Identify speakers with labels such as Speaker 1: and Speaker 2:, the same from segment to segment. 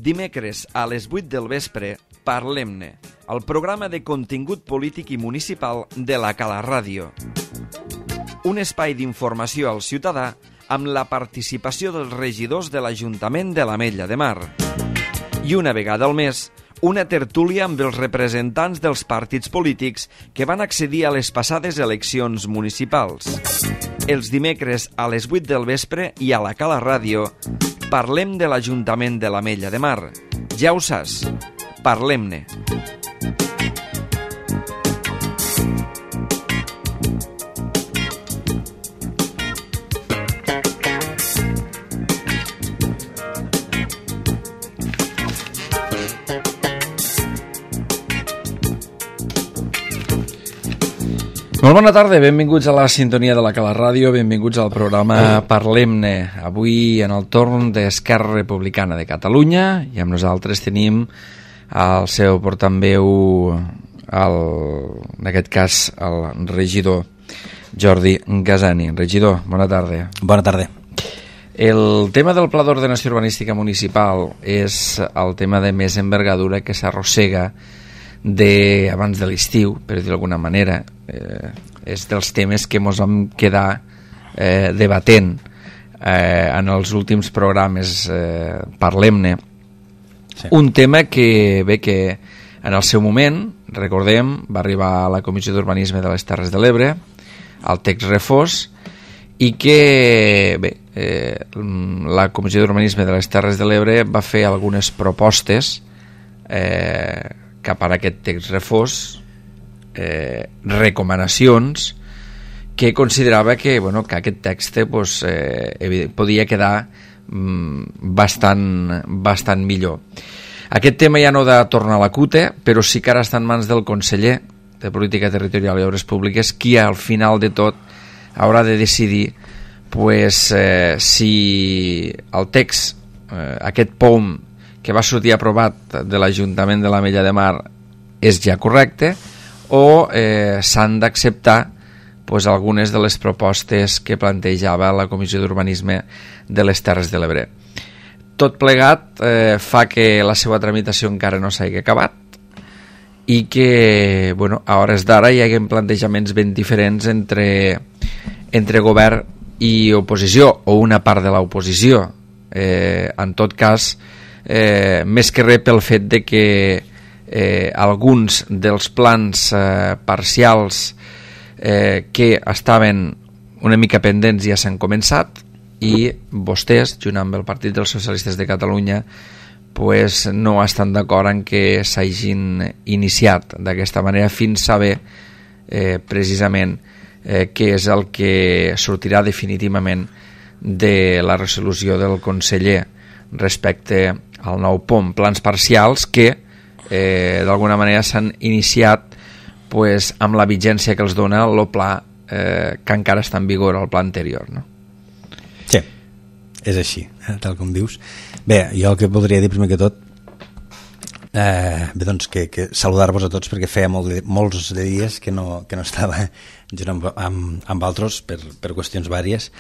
Speaker 1: Dimecres a les 8 del vespre, Parlem-ne, el programa de contingut polític i municipal de la Cala Ràdio. Un espai d'informació al ciutadà amb la participació dels regidors de l'Ajuntament de l'Ametlla de Mar. I una vegada al mes, una tertúlia amb els representants dels partits polítics que van accedir a les passades eleccions municipals. Els dimecres a les 8 del vespre i a la Cala Ràdio parlem de l'Ajuntament de l'Ametlla de Mar. Ja ho saps, parlem-ne. Molt bona tarda, benvinguts a la sintonia de la Cala Ràdio, benvinguts al programa Parlem-ne. Avui en el torn d'Esquerra Republicana de Catalunya i amb nosaltres tenim el seu portaveu, en aquest cas el regidor Jordi Gasani. Regidor, bona tarda.
Speaker 2: Bona tarda.
Speaker 1: El tema del Pla d'Ordenació Urbanística Municipal és el tema de més envergadura que s'arrossega abans de l'estiu, per dir d'alguna manera. És dels temes que ens vam quedar debatent en els últims programes. Parlem-ne. Sí. Un tema que en el seu moment, recordem, va arribar a la Comissió d'Urbanisme de les Terres de l'Ebre, al text refós, i que la Comissió d'Urbanisme de les Terres de l'Ebre va fer algunes propostes cap a aquest text refós, recomanacions que considerava que aquest text podia quedar bastant millor. Aquest tema ja no ha de tornar a la CUTE, però sí que ara està en mans del conseller de Política Territorial i Obres Públiques, qui al final de tot haurà de decidir si el text, aquest POM que va sortir aprovat de l'Ajuntament de l'Ametlla de Mar, és ja correcte o s'han d'acceptar algunes de les propostes que plantejava la Comissió d'Urbanisme de les Terres de l'Ebre. Tot plegat fa que la seva tramitació encara no s'hagi acabat i que a hores d'ara hi hagi plantejaments ben diferents entre govern i oposició, o una part de l'oposició. En tot cas, més que res pel fet de que alguns dels plans parcials que estaven una mica pendents ja s'han començat, i vostès, junt amb el Partit dels Socialistes de Catalunya, no estan d'acord en que s'hagin iniciat d'aquesta manera fins a saber precisament què és el que sortirà definitivament de la resolució del conseller respecte al nou POM. Plans parcials que d'alguna manera s'han iniciat amb la vigència que els dona el pla que encara està en vigor, el pla anterior, no?
Speaker 2: Sí, és així, tal com dius. Bé, jo el que voldria dir primer que tot que saludar-vos a tots, perquè feia molts de dies que no estava junt amb altres per qüestions vàries,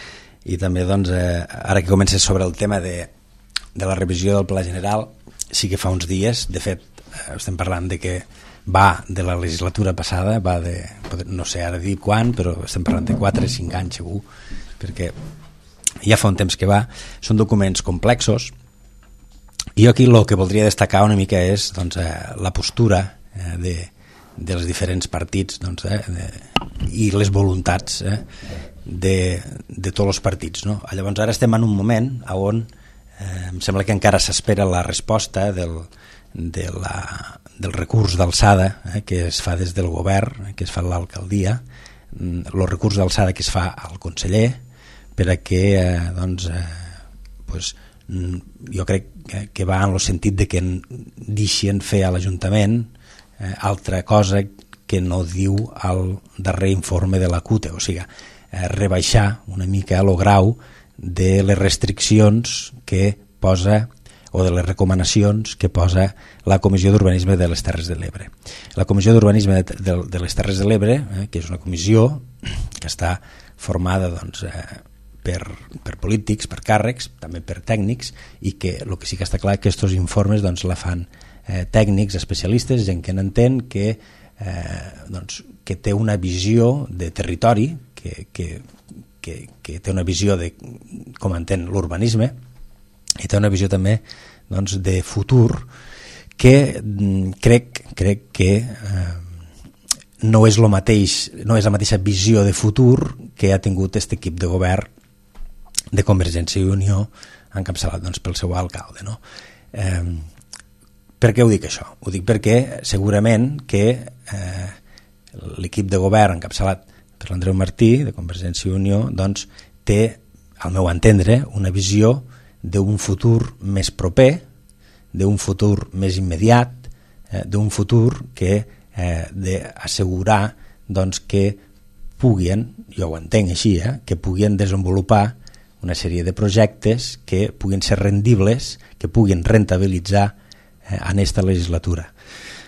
Speaker 2: i també ara que comences sobre el tema de la revisió del Pla General, sí que fa uns dies, de fet estem parlant de que va de la legislatura passada, va de, no sé ara dir quan, però estem parlant de 4 o 5 anys segur, perquè ja fa un temps que va. Són documents complexos, i jo aquí el que voldria destacar una mica és la postura dels diferents partits i les voluntats de tots els partits, no? Llavors ara estem en un moment on em sembla que encara s'espera la resposta del recurs d'alçada que es fa des del govern, que es fa a l'alcaldia, el recurs d'alçada que es fa al conseller, per a que jo crec que va en el sentit de que deixen fer a l'Ajuntament altra cosa que no diu al darrer informe de la CUTE, o sigui, rebaixar una mica el grau de les restriccions que posa, o de les recomanacions que posa la Comissió d'Urbanisme de les Terres de l'Ebre. La Comissió d'Urbanisme de les Terres de l'Ebre, que és una comissió que està formada per polítics, per càrrecs, també per tècnics, i que el que sí que està clar que aquests informes doncs, la fan tècnics, especialistes, gent que n'entén, que té una visió de territori, que té una visió de com entén l'urbanisme, i té una visió també doncs, de futur, que crec que no és la mateixa visió de futur que ha tingut aquest equip de govern de Convergència i Unió encapçalat doncs, pel seu alcalde, no? Per què ho dic això? Ho dic perquè segurament que l'equip de govern encapçalat per l'Andreu Martí de Convergència i Unió doncs, té, al meu entendre, una visió d'un futur més proper, d'un futur més immediat, d'un futur que d'assegurar doncs, que puguin, jo ho entenc així, que puguin desenvolupar una sèrie de projectes que puguin ser rendibles, que puguin rentabilitzar en aquesta legislatura.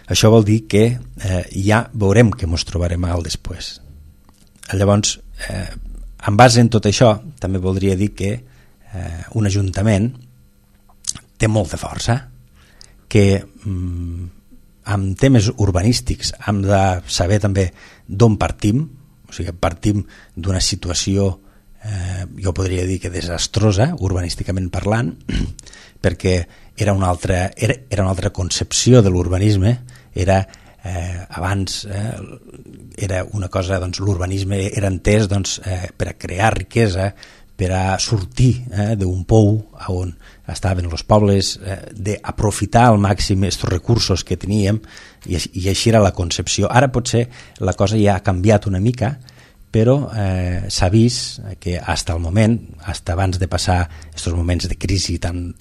Speaker 2: Això vol dir que ja veurem que ens trobarem al després. Llavors, en base en tot això, també voldria dir que un ajuntament té molta força, que amb temes urbanístics hem de saber també d'on partim, o sigui, partim d'una situació, jo podria dir que desastrosa, urbanísticament parlant, perquè era una altra concepció de l'urbanisme, abans era una cosa, doncs, l'urbanisme era entès doncs, per a crear riquesa, per a sortir d'un pou on estaven els pobles, d'aprofitar al màxim aquests recursos que teníem, i així era la concepció. Ara potser la cosa ja ha canviat una mica, però s'ha vist que fins al moment, fins abans de passar aquests moments de crisi tan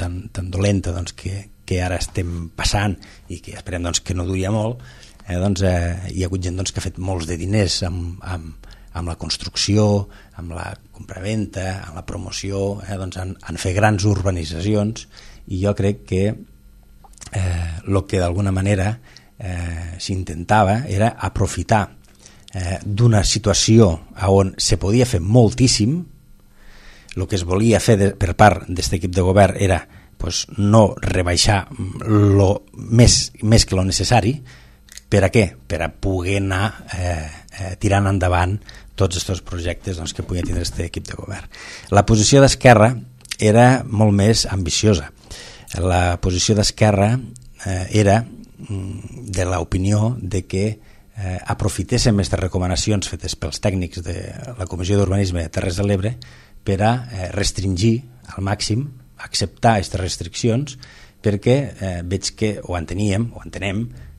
Speaker 2: dolenta doncs, que ara estem passant i que esperem doncs, que no duria molt, doncs, hi ha hagut gent doncs, que ha fet molts de diners amb la construcció, amb la compraventa, amb la promoció, doncs han fet grans urbanitzacions, i jo crec que el que d'alguna manera s'intentava era aprofitar d'una situació on se podia fer moltíssim. El que es volia fer per part d'aquest equip de govern era pues, no rebaixar més que lo necessari. Per a què? Per a poder anar tirant endavant tots aquests projectes doncs, que podia tindre aquest equip de govern. La posició d'Esquerra era molt més ambiciosa. La posició d'Esquerra era de l'opinió de que aprofitéssim aquestes recomanacions fetes pels tècnics de la Comissió d'Urbanisme de Terres de l'Ebre per a restringir al màxim, acceptar aquestes restriccions, perquè veig que ho entenem,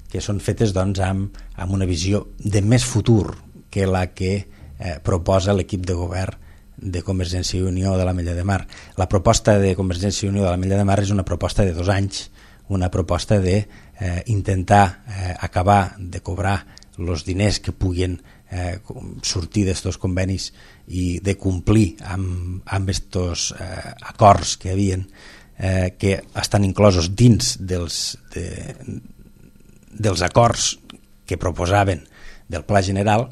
Speaker 2: que són fetes doncs, amb una visió de més futur que la que proposa l'equip de govern de Convergència i Unió de l'Ametlla de Mar. La proposta de Convergència i Unió de l'Ametlla de Mar és una proposta de 2 anys, una proposta d'intentar acabar de cobrar els diners que puguin sortir d'aquests convenis i de complir amb aquests acords que hi havia, que estan inclosos dins dels acords que proposaven del Pla General,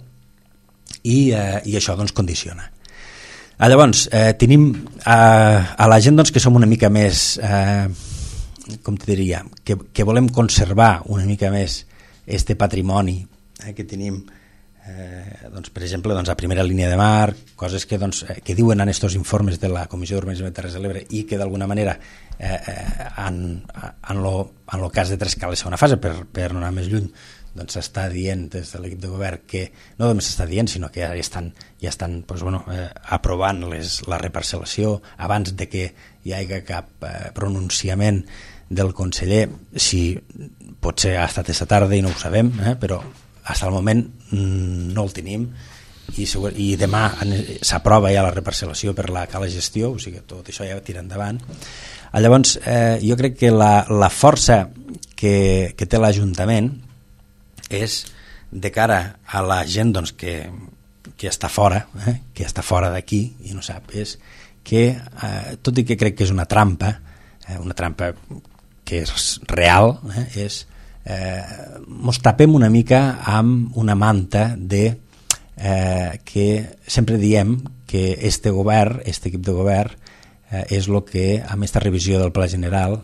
Speaker 2: i això doncs condiciona. Llavors, tenim a la gent doncs, que som una mica més, com te diria, que volem conservar una mica més este patrimoni que tenim, doncs, per exemple, doncs, a primera línia de mar, coses que, doncs, que diuen en aquests informes de la Comissió d'Urbanisme de Terres de l'Ebre i que d'alguna manera en el cas de Trescales segona fase, per no anar més lluny, doncs s'està dient des de l'equip de govern que no només s'està dient, sinó que ja estan doncs, aprovant la reparcel·lació abans de que hi hagi cap pronunciament del conseller. Si potser ha estat aquesta tarda i no ho sabem, però fins al moment no el tenim, i demà s'aprova ja la reparcel·lació per la cala gestió, o sigui que tot això ja tira endavant. Llavors jo crec que la força que té l'Ajuntament és de cara a la gent doncs, que està fora, que està fora d'aquí i no sap, és que tot i que crec que és una trampa que és real, és mos tapem una mica amb una manta de que sempre diem que este equip de govern, és el que, amb aquesta revisió del Pla General,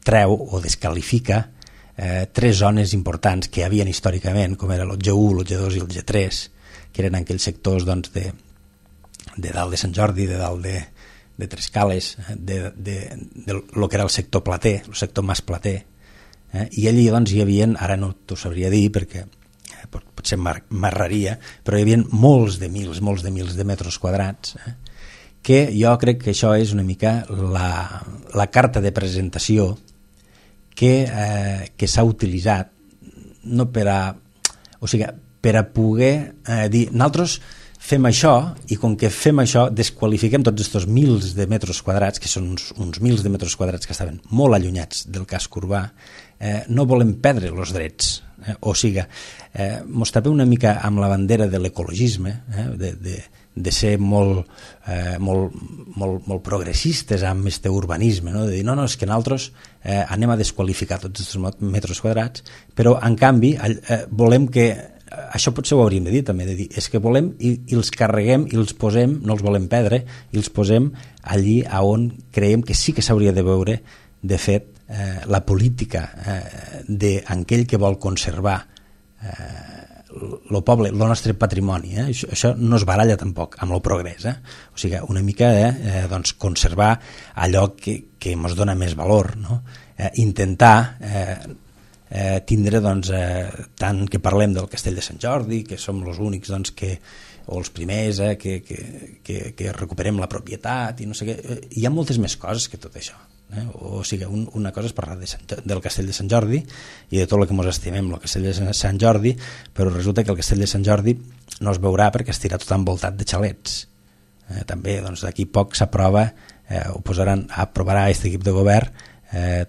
Speaker 2: treu o descalifica tres zones importants que hi havia històricament, com era el G1, el G2 i el G3, que eren aquells sectors doncs, de dalt de Sant Jordi, de dalt de Trescales, de lo que era el sector plater, el sector mas plater, i allí doncs, hi havia, ara no t'ho sabria dir perquè potser m'erraria, però hi havia molts de mils de metres quadrats, que jo crec que això és una mica la carta de presentació que s'ha utilitzat no per a poder dir nosaltres fem això, i com que fem això desqualifiquem tots aquests mils de metres quadrats, que són uns mils de metres quadrats que estaven molt allunyats del casc urbà, no volem perdre els drets, o sigui, mos tapem una mica amb la bandera de l'ecologisme, de ser molt progressistes amb aquest urbanisme, no? De dir, no, és que nosaltres anem a desqualificar tots aquests metres quadrats, però en canvi volem que, això potser ho hauríem de dir també, de dir, és que volem i els carreguem i els posem, no els volem perdre, i els posem allí on creiem que sí que s'hauria de veure, de fet, la política d'aquell que vol conservar el poble, el nostre patrimoni, això no es baralla tampoc amb el progrés, o sigui, una mica doncs conservar allò que ens dona més valor, no? Intentar tindre, doncs, tant que parlem del Castell de Sant Jordi, que som els únics doncs, o els primers que recuperem la propietat i no sé què, hi ha moltes més coses que tot això. O sigui, una cosa és parlar del Castell de Sant Jordi i de tot el que ens estimem el Castell de Sant Jordi, però resulta que el Castell de Sant Jordi no es veurà perquè estirà tot envoltat de xalets. També doncs, d'aquí poc s'aprova, aprovarà aquest equip de govern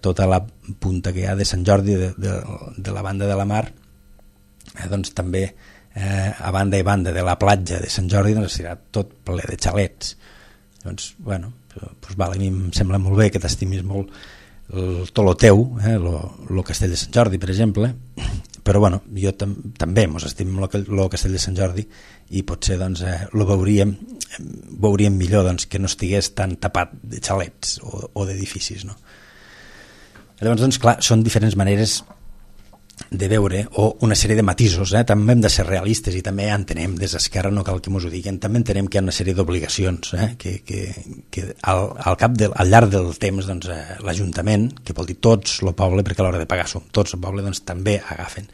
Speaker 2: tota la punta que hi ha de Sant Jordi de la banda de la mar, doncs també a banda i banda de la platja de Sant Jordi doncs estirà tot ple de xalets. Doncs, bueno, doncs vale, a mi em sembla molt bé que t'estimis molt tot lo teu, el Castell de Sant Jordi, per exemple, però bueno, jo també mos estimem el Castell de Sant Jordi i potser doncs, lo veuríem millor doncs, que no estigués tan tapat de xalets o d'edificis, no? Llavors, doncs, clar, són diferents maneres de veure, o una sèrie de matisos, també hem de ser realistes i també entenem des d'Esquerra, no cal que ens ho diguin, també entenem que hi ha una sèrie d'obligacions que al llarg del temps doncs, l'Ajuntament, que vol dir tots el poble, perquè a l'hora de pagar som tots el poble, doncs també agafen.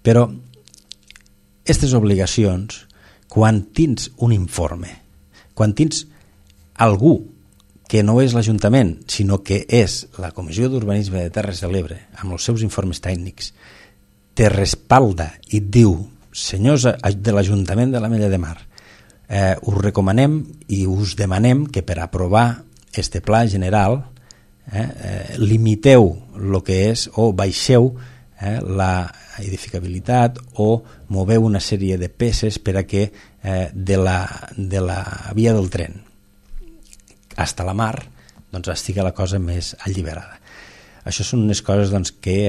Speaker 2: Però aquestes obligacions, quan tens un informe, quan tens algú que no és l'Ajuntament, sinó que és la Comissió d'Urbanisme de Terres de l'Ebre, amb els seus informes tècnics, te respalda i et diu, senyors de l'Ajuntament de l'Ametlla de Mar, us recomanem i us demanem que per aprovar este pla general limiteu el que és o baixeu la edificabilitat o moveu una sèrie de peces per a que de la via del tren fins a la mar doncs estigui la cosa més alliberada. Això són unes coses doncs, que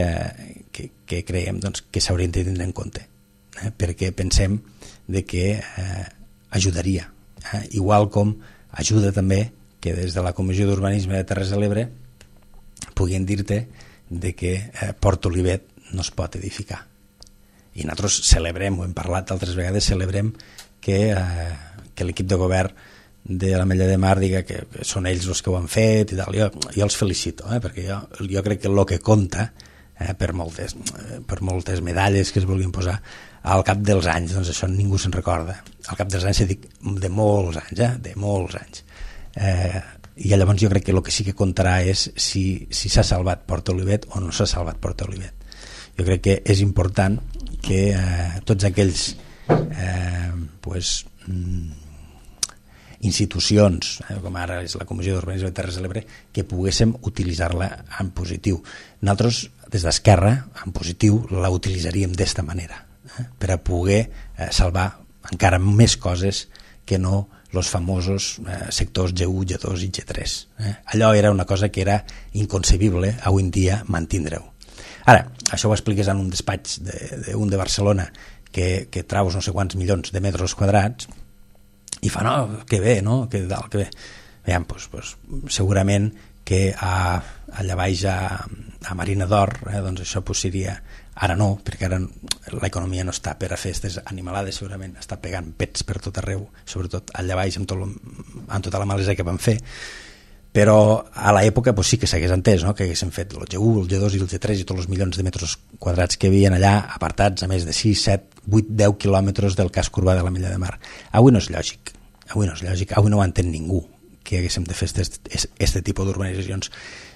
Speaker 2: creiem doncs, que s'haurien de tenir en compte, perquè pensem de que ajudaria, igual com ajuda també que des de la Comissió d'Urbanisme de Terres de l'Ebre puguin dir-te de que Port Olivet no es pot edificar. I nosaltres celebrem, ho hem parlat altres vegades, celebrem que l'equip de govern de l'Ametlla de Mar diga que són ells els que ho han fet i tal. Jo els felicito, perquè jo crec que el que compta per moltes medalles que es vulguin posar al cap dels anys, doncs això ningú se'n recorda. Al cap dels anys, dic, de molts anys, i llavors jo crec que el que sí que comptarà és si s'ha salvat Port Olivet o no s'ha salvat Port Olivet. Jo crec que és important que tots aquells institucions, com ara és la Comissió d'Urbanisme de Terres de l'Ebre, que poguéssim utilitzar-la en positiu. Nosaltres, des d'Esquerra, en positiu, la utilitzaríem d'esta manera, per a poder salvar encara més coses que no els famosos sectors G1, G2 i G3. Allò era una cosa que era inconcebible avui en dia mantindre-ho. Ara, això ho expliques en un despatx d'un de Barcelona que traus no sé quants milions de metres quadrats i fa, no, que bé, no? Que dalt, que bé. Veiem, doncs, segurament que allà baix a Marina d'Or, doncs això seria... Ara no, perquè ara l'economia no està per a fer aquestes animalades, segurament està pegant pets per tot arreu, sobretot allà baix amb tota la malesa que van fer, però a l'època sí que s'hagués entès, no? Que haguessin fet el G1, el G2 i el G3 i tots els milions de metres quadrats que hi havia allà apartats a més de 6, 7, 8, 10 quilòmetres del casc urbà de l'Ametlla de Mar. Avui no és lògic, avui no ho entén ningú que haguéssim de fer aquest tipus d'urbanitzacions.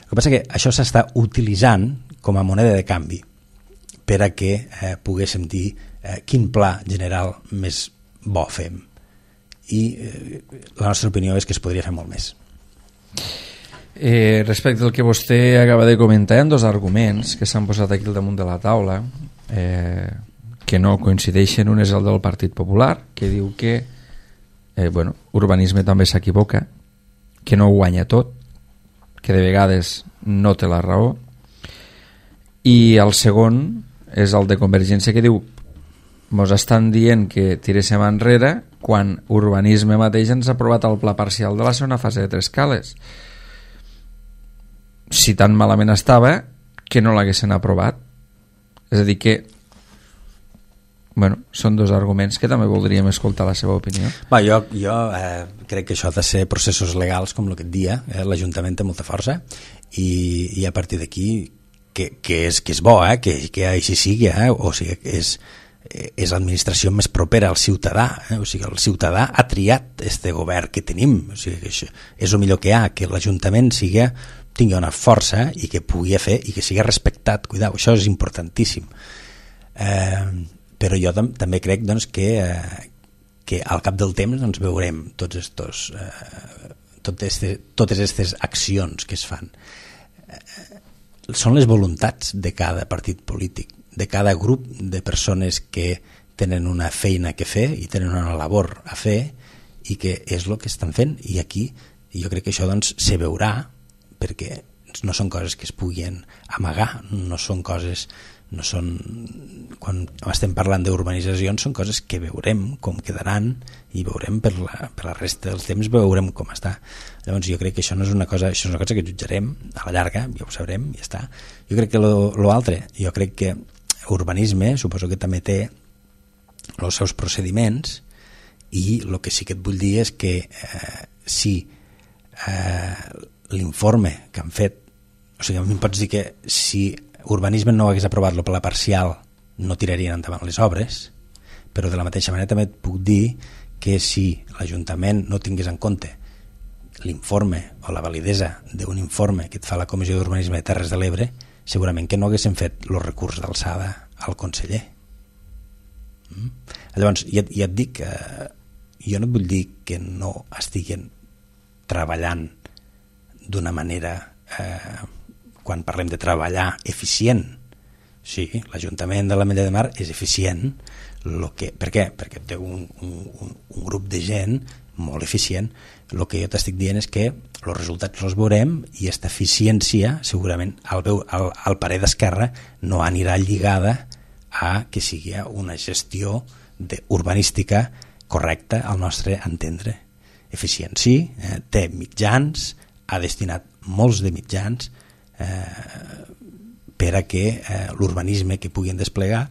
Speaker 2: El que passa que això s'està utilitzant com a moneda de canvi per a que poguéssim dir quin pla general més bo fem. I la nostra opinió és que es podria fer molt més.
Speaker 1: Respecte al que vostè acaba de comentar, hi ha dos arguments que s'han posat aquí al damunt de la taula que no coincideixen. Un és el del Partit Popular, que diu que urbanisme també s'equivoca, que no ho guanya tot, que de vegades no té la raó, i el segon és el de Convergència, que diu mos estan dient que tiréssim enrere quan urbanisme mateix ens ha aprovat el pla parcial de la segona fase de Trescales. Si tan malament estava que no l'haguessin aprovat. És a dir que són dos arguments que també voldríem escoltar la seva opinió.
Speaker 2: Jo crec que això ha de ser processos legals com el que et dia, l'Ajuntament té molta força i a partir d'aquí que és bo, que així sigui, o sigui, és l'administració més propera al ciutadà, o sigui, el ciutadà ha triat este govern que tenim, o sigui, que això és el millor que hi ha, que l'Ajuntament tingui una força i que pugui fer i que sigui respectat, cuidao, això és importantíssim. Però jo també crec doncs, que al cap del temps doncs, veurem totes aquestes accions que es fan. Són les voluntats de cada partit polític, de cada grup de persones que tenen una feina que fer i tenen una labor a fer i que és el que estan fent. I aquí jo crec que això doncs, se veurà, perquè no són coses que es puguin amagar, quan estem parlant d'urbanitzacions són coses que veurem com quedaran i veurem per la resta del temps, veurem com està. Llavors jo crec que això no és una cosa, això és una cosa que jutjarem a la llarga, ja ho sabrem, ja està. Jo crec que l'altre, jo crec que urbanisme suposo que també té els seus procediments i el que sí que et vull dir és que si l'informe que han fet, o sigui, a mi em pots dir que si urbanisme no hagués aprovat el pla parcial no tirarien endavant les obres, però de la mateixa manera també et puc dir que si l'Ajuntament no tingués en compte l'informe o la validesa d'un informe que et fa la Comissió d'Urbanisme de Terres de l'Ebre, segurament que no haguessin fet el recurs d'alçada al conseller. Llavors, ja et dic que jo no et vull dir que no estiguin treballant d'una manera, quan parlem de treballar, eficient. Sí, l'Ajuntament de l'Ametlla de Mar és eficient. Per què? Perquè té un grup de gent molt eficient. El que jo t'estic dient és que els resultats els veurem i aquesta eficiència segurament al parer d'Esquerra no anirà lligada a que sigui una gestió urbanística correcta al nostre entendre. Eficient sí, té mitjans, ha destinat molts de mitjans per a que l'urbanisme que puguin desplegar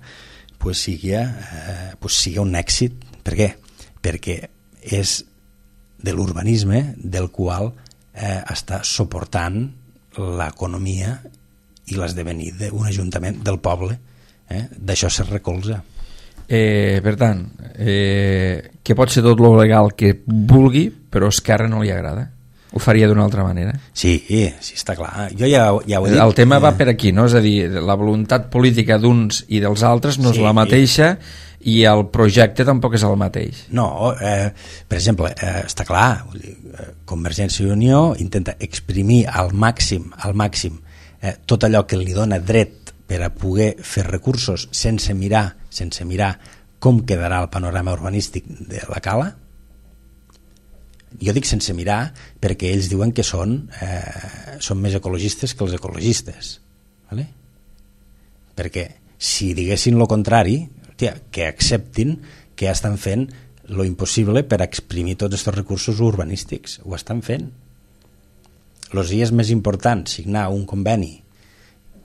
Speaker 2: sigui un èxit. Per què? Perquè és de l'urbanisme del qual està suportant l'economia i l'esdevenir d'un ajuntament del poble. D'això se recolza.
Speaker 1: Per tant, que pot ser tot lo legal que vulgui, però a Esquerra no li agrada. Ho faria d'una altra manera.
Speaker 2: Sí, està clar. Jo ja ho he dit.
Speaker 1: El tema va per aquí, no? És a dir, la voluntat política d'uns i dels altres no és la mateixa i el projecte tampoc és el mateix.
Speaker 2: No, per exemple, està clar, Convergència i Unió intenta exprimir al màxim tot allò que li dona dret per a poder fer recursos sense mirar com quedarà el panorama urbanístic de la Cala. Jo dic sense mirar perquè ells diuen que són més ecologistes que els ecologistes, vale? Perquè si diguessin el contrari, que acceptin que estan fent lo impossible per exprimir tots aquests recursos urbanístics. Ho estan fent. Els dies més importants, signar un conveni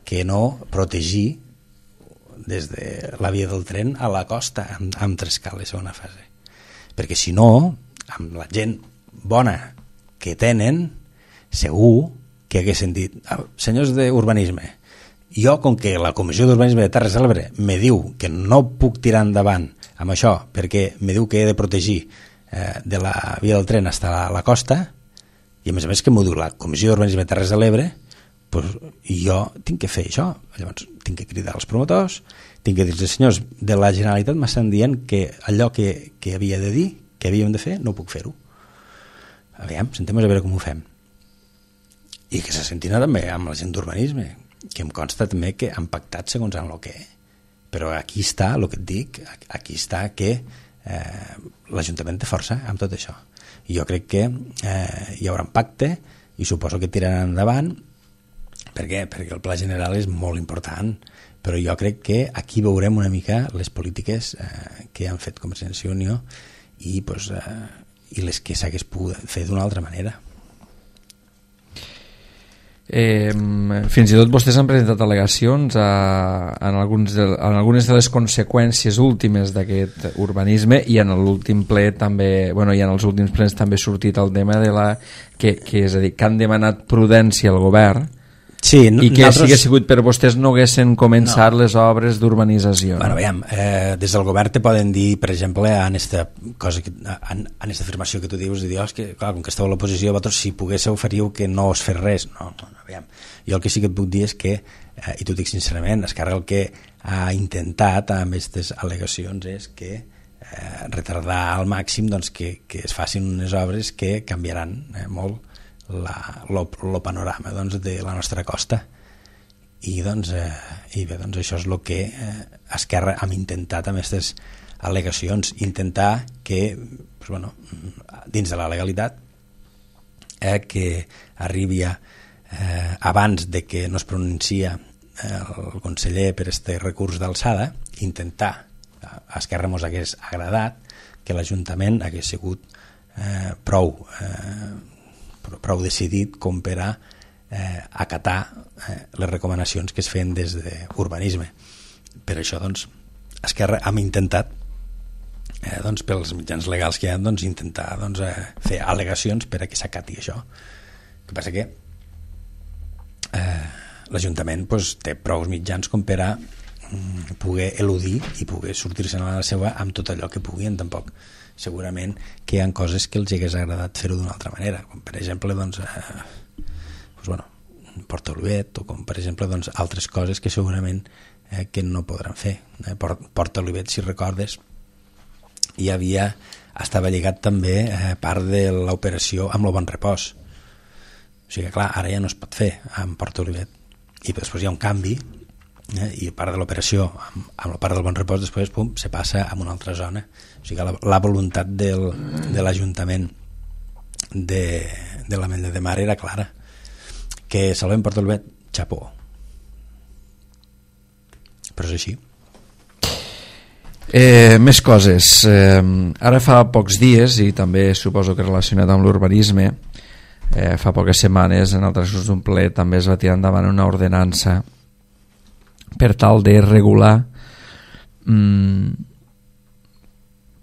Speaker 2: que no protegir des de la via del tren a la costa amb Trescal, segona fase. Perquè si no, amb la gent bona que tenen, segur que haguessin dit, senyors d'urbanisme, jo, com que la Comissió d'Urbanisme de Terres de l'Ebre me diu que no puc tirar endavant amb això, perquè me diu que he de protegir de la via del tren fins a la costa, i a més que m'ho diu la Comissió d'Urbanisme de Terres de l'Ebre, doncs jo tinc que fer això. Llavors tinc que cridar els promotors, tinc que dir als senyors de la Generalitat m'estan dient que allò que havia de dir, que havíem de fer, no puc fer-ho. Aviam, sentem a veure com ho fem. I que se sentin també amb la gent d'urbanisme, que em consta també que han pactat segons en el que. Però aquí està el que et dic, aquí està que l'Ajuntament té força amb tot això. I jo crec que hi haurà un pacte i suposo que tiraran endavant. Per què? Perquè el pla general és molt important, però jo crec que aquí veurem una mica les polítiques que han fet Convergència i Unió i les que s'hagués pogut fer d'una altra manera.
Speaker 1: Fins i tot vostès han presentat al·legacions en algunes de les conseqüències últimes d'aquest urbanisme, i en l'últim ple també, i en els últims plens també ha sortit el tema de que és a dir, que han demanat prudència al govern.
Speaker 2: Sí,
Speaker 1: i que si hagués sigut per vostès no haguessin començat les obres d'urbanització.
Speaker 2: Veiem, des del govern te poden dir, per exemple, en esta afirmació que tu dius, que clar, com que esteu a l'oposició, vosaltres si poguéssiu faríeu que no us fes res. No, veiem. Jo el que sí que et puc dir és que, i t'ho dic sincerament, Esquerra el que ha intentat amb aquestes al·legacions és que retardar al màxim que es facin unes obres que canviaran molt el panorama de la nostra costa, i bé, això és el que Esquerra hem intentat amb aquestes al·legacions, intentar que dins de la legalitat que arribi abans de que no es pronuncia el conseller per este recurs d'alçada, intentar, a Esquerra mos hagués agradat que l'Ajuntament hagués sigut prou decidit com per a acatar les recomanacions que es feien des d'urbanisme. Per això, Esquerra hem intentat, pels mitjans legals que hi ha, intentar fer al·legacions per a que s'acati això. El que passa que l'Ajuntament té prou mitjans com per a poder eludir i poder sortir-se'n a la seva amb tot allò que puguin. Tampoc segurament que hi ha coses que els hagués agradat fer-ho d'una altra manera, com per exemple Porta Olivet, o com per exemple altres coses que segurament que no podran fer. Porta Olivet, si recordes, estava lligat també part de l'operació amb el Bon Repòs, o sigui que clar, ara ja no es pot fer amb Porta Olivet, i després hi ha un canvi, i part de l'operació amb la part del Bon Repòs després se passa a una altra zona. O sigui que la voluntat de l'Ajuntament de l'Ametlla de Mar era clara, que salvem Porta Olivet, xapó, però és així.
Speaker 1: Més coses. Ara fa pocs dies, i també suposo que relacionat amb l'urbanisme, fa poques setmanes en el transcurs d'un ple també es va tirar endavant una ordenança per tal de regular,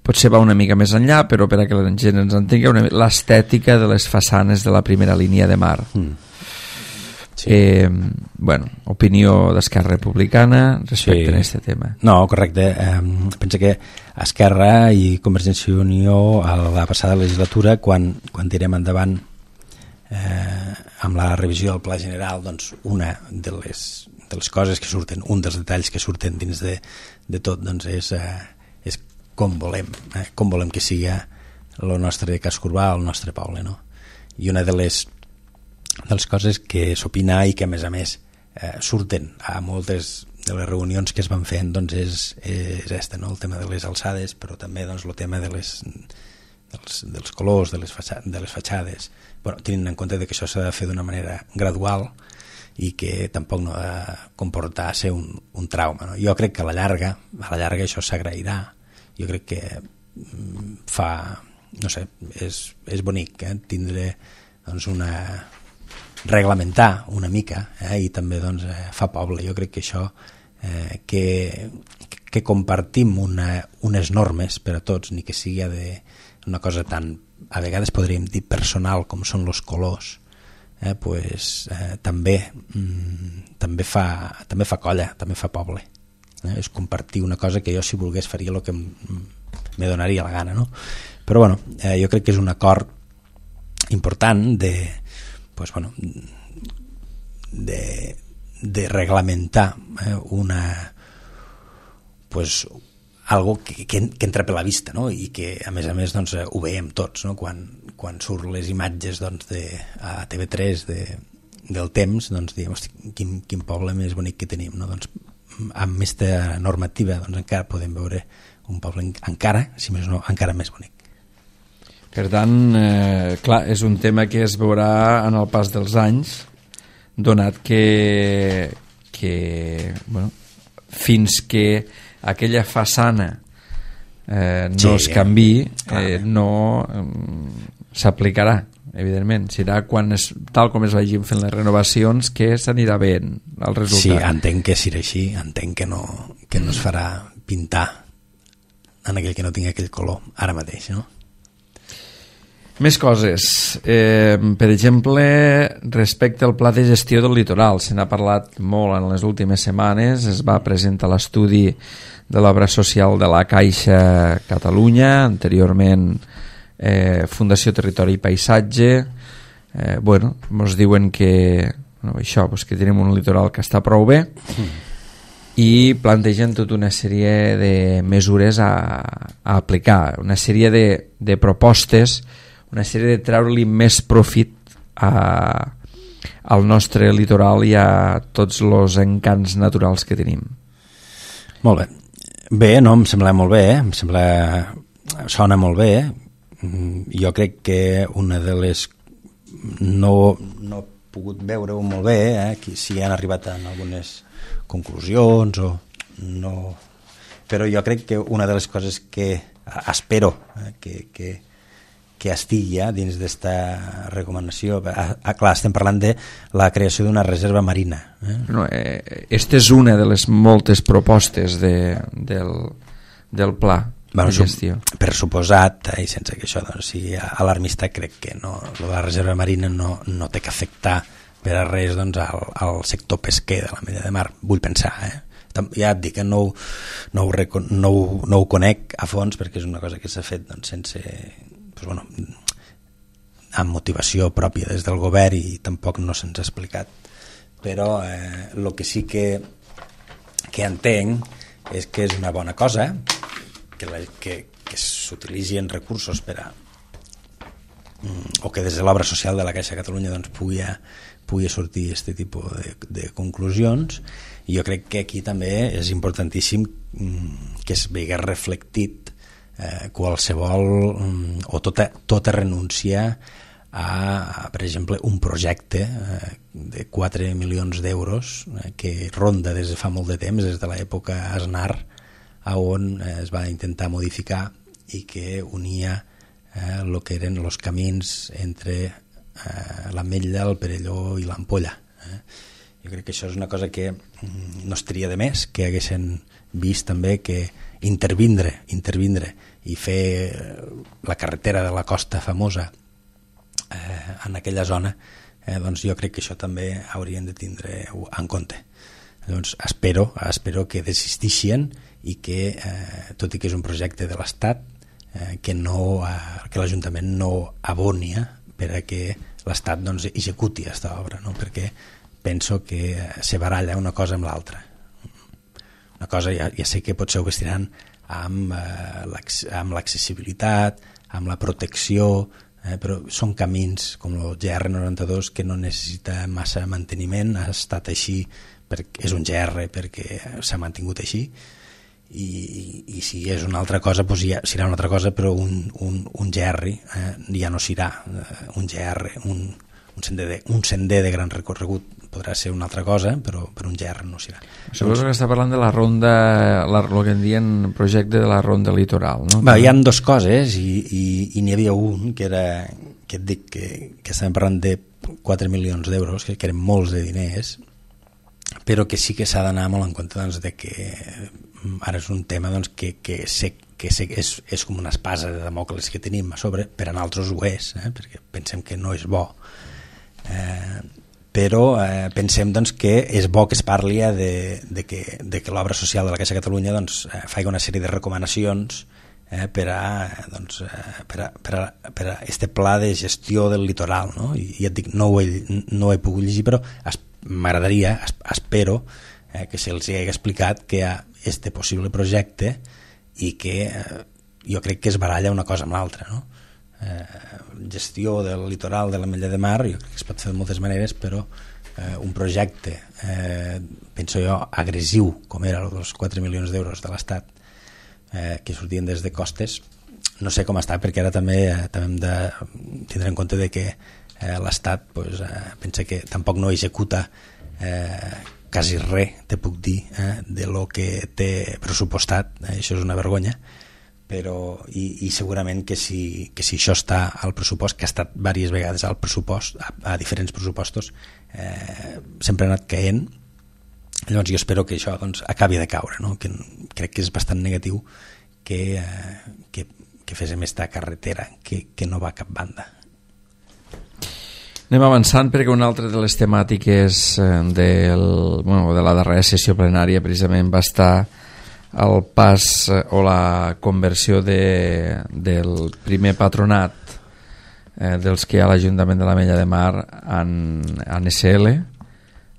Speaker 1: potser va una mica més enllà, però per a que la gent ens entengui, l'estètica de les façanes de la primera línia de mar. Sí. Opinió d'Esquerra Republicana respecte a aquest tema.
Speaker 2: No, correcte. Pensa que Esquerra i Convergència i Unió a la passada legislatura, quan tirem endavant amb la revisió del Pla General, una de les coses que surten, un dels detalls que surten dins de tot, és com volem que sigui el nostre casc urbà, el nostre poble, no? I una de les coses que s'opina i que a més surten a moltes de les reunions que es van fent és este, no? El tema de les alçades, però també el tema dels colors de les fatxades, tenint en compte que això s'ha de fer d'una manera gradual i que tampoc no ha de comportar ser un trauma, no? Jo crec que a la llarga això s'agrairà. Jo crec que fa, no sé, és bonic tindre doncs, reglamentar una mica i també doncs, fa poble. Jo crec que això que compartim unes normes per a tots, ni que sigui una cosa tan, a vegades podríem dir personal, com són els colors, també fa colla, també fa poble. És compartir una cosa que jo, si volgués, faria el que me donaria la gana, no? Però bueno, jo crec que és un acord important de reglamentar algo que entra per la vista, no? I que a més doncs, ho veiem tots, no? Quan surt les imatges doncs, a TV3 del temps, doncs diem, hosti, quin poble més bonic que tenim, no? Doncs, amb aquesta normativa doncs, encara podem veure un poble encara, si més no, encara més bonic.
Speaker 1: Per tant, clar, és un tema que es veurà en el pas dels anys, donat que bueno, fins que aquella façana no es canvi, no s'aplicarà, evidentment. Serà quan tal com es vagin fent les renovacions que s'anirà veient el resultat.
Speaker 2: Sí, entenc que serà així, entenc que no es farà pintar en aquell que no tingui aquell color ara mateix, no?
Speaker 1: Més coses. Per exemple, respecte al pla de gestió del litoral, se n'ha parlat molt en les últimes setmanes. Es va presentar l'estudi de l'obra social de la Caixa Catalunya, anteriorment Fundació Territori i Paisatge. Ens diuen que que tenim un litoral que està prou bé i plantegen tota una sèrie de mesures a aplicar, una sèrie de propostes, una sèrie de treure-li més profit al nostre litoral i a tots els encants naturals que tenim.
Speaker 2: Molt bé. Bé, no, em sembla molt bé, sona molt bé. Jo crec que una de les... No he pogut veure-ho molt bé, si han arribat a algunes conclusions o no... Però jo crec que una de les coses que espero que estigui dins d'esta recomanació, clar, estem parlant de la creació d'una reserva marina.
Speaker 1: Esta és una de les moltes propostes del pla de gestió.
Speaker 2: Per suposat, i sense que això sigui alarmista, crec que la reserva marina no té que afectar per a res al sector pesquer de la Mella de Mar, vull pensar, ja et dic que no ho conec a fons perquè és una cosa que s'ha fet sense... amb motivació pròpia des del govern i tampoc no se'ns ha explicat, però el que sí que entenc és que és una bona cosa que s'utilitzin recursos o que des de l'obra social de la Caixa Catalunya pugui sortir aquest tipus de conclusions, i jo crec que aquí també és importantíssim que es vegi reflectit qualsevol o tota renúncia a, per exemple, un projecte de 4 milions d'euros que ronda des de fa molt de temps, des de l'època Aznar, on es va intentar modificar i que unia el que eren els camins entre l'Ametlla, el Perelló i l'Ampolla. Jo crec que això és una cosa que no estaria de més, que haguessin vist també que intervindre i fer la carretera de la costa famosa en aquella zona, doncs jo crec que això també haurien de tindre en compte. Doncs espero que desistixen i que, tot i que és un projecte de l'Estat, que l'Ajuntament no aboni per a que l'Estat executi aquesta obra, no? Perquè penso que se baralla una cosa amb l'altra. Una cosa, ja sé que potser ho vestiran amb l'accessibilitat, amb la protecció, però són camins com el GR92 que no necessita massa manteniment, ha estat així, és un GR perquè s'ha mantingut així, i si és una altra cosa doncs ja serà una altra cosa, però un GR ja no serà un GR, un un sender de gran recorregut podrà ser una altra cosa, però per un GR no s'hi va.
Speaker 1: Suposo que està parlant de la ronda, el que en dien projecte de la ronda litoral, no?
Speaker 2: Hi ha dues coses i n'hi havia un que era, que et dic que estàvem parlant de 4 milions d'euros, que eren molts de diners, però que sí que s'ha d'anar molt en compte doncs, de que ara és un tema doncs, que és com una espasa de Damocles que tenim a sobre, per a nosaltres ho és, perquè pensem que no és bo, però pensem doncs, que és bo que es parli de que l'obra social de la Caixa de Catalunya doncs, faci una sèrie de recomanacions per a este pla de gestió del litoral, no? I et dic, no ho he pogut llegir, però m'agradaria, espero que se'ls hagi explicat que hi ha este possible projecte i que jo crec que es baralla una cosa amb l'altra, no? Gestió del litoral de l'Ametlla de Mar jo crec que es pot fer de moltes maneres, però un projecte penso jo agressiu com era els 4 milions d'euros de l'Estat que sortien des de costes, no sé com està, perquè ara també hem de tindre en compte de que l'Estat pues, pensa que tampoc no executa quasi res, te puc dir, de lo que té pressupostat, això és una vergonya, però i segurament que si això està al pressupost, que ha estat diverses vegades al pressupost, a diferents pressupostos, sempre ha anat caient. Llavors jo espero que això doncs, acabi de caure, no? Que crec que és bastant negatiu que féssim esta carretera que no va a cap banda.
Speaker 1: Anem avançant perquè una altra de les temàtiques de la darrera sessió plenària precisament va estar el pas o la conversió del primer patronat dels que hi ha a l'Ajuntament de l'Ametlla de Mar en SL.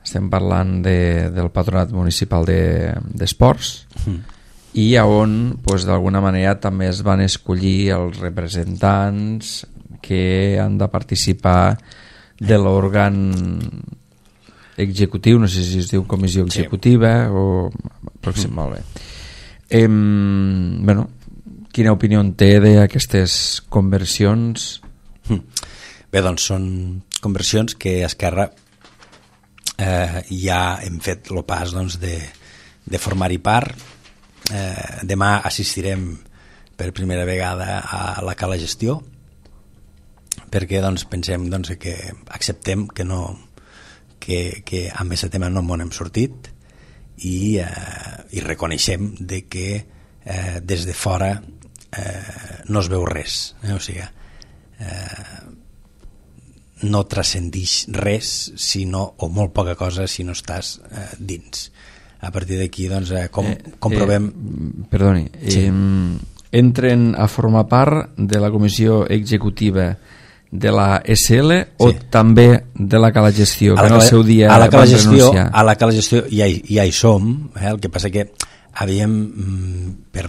Speaker 1: Estem parlant del patronat municipal d'esports i on pues, d'alguna manera també es van escollir els representants que han de participar de l'òrgan executiu, no sé si es diu comissió executiva o pròxim, molt bé. Quina opinió en té d'aquestes conversions?
Speaker 2: Bé, doncs són conversions que a Esquerra ja hem fet el pas doncs, de formar-hi part. Demà assistirem per primera vegada a la Cala Gestió, perquè doncs, pensem doncs, que acceptem que amb aquest tema no m'ho hem sortit i reconeixem de que des de fora no es veu res, o sigui, no transcendix res o molt poca cosa si no estàs dins. A partir d'aquí doncs, comprovem...
Speaker 1: Perdoni, sí. Entren a formar part de la comissió executiva de la SL o sí. També de la Cala Gestió, que en el seu dia van renunciar?
Speaker 2: A la Cala Gestió ja hi som, el que passa que havíem, per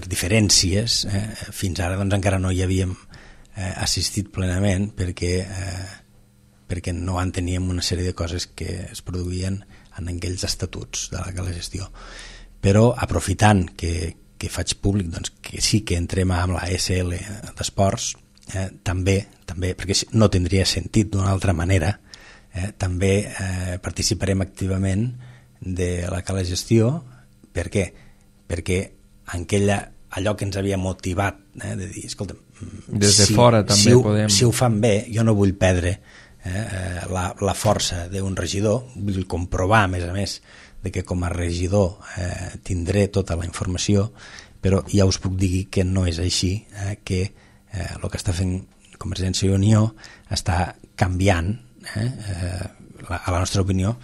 Speaker 2: diferències, fins ara doncs, encara no hi havíem assistit plenament perquè no enteníem una sèrie de coses que es produïen en aquells estatuts de la Cala Gestió. Però aprofitant que faig públic doncs, que sí que entrem amb la SL d'Esports, també, perquè no tindria sentit d'una altra manera, també participarem activament de la Cala Gestió. Per què? Perquè allò que ens havia motivat de dir, escolta,
Speaker 1: des de fora també podem...
Speaker 2: Si ho fan bé, jo no vull perdre la força d'un regidor, vull comprovar a més de que com a regidor tindré tota la informació, però ja us puc dir que no és així, que el que està fent Convergència i Unió està canviant, a la nostra opinió,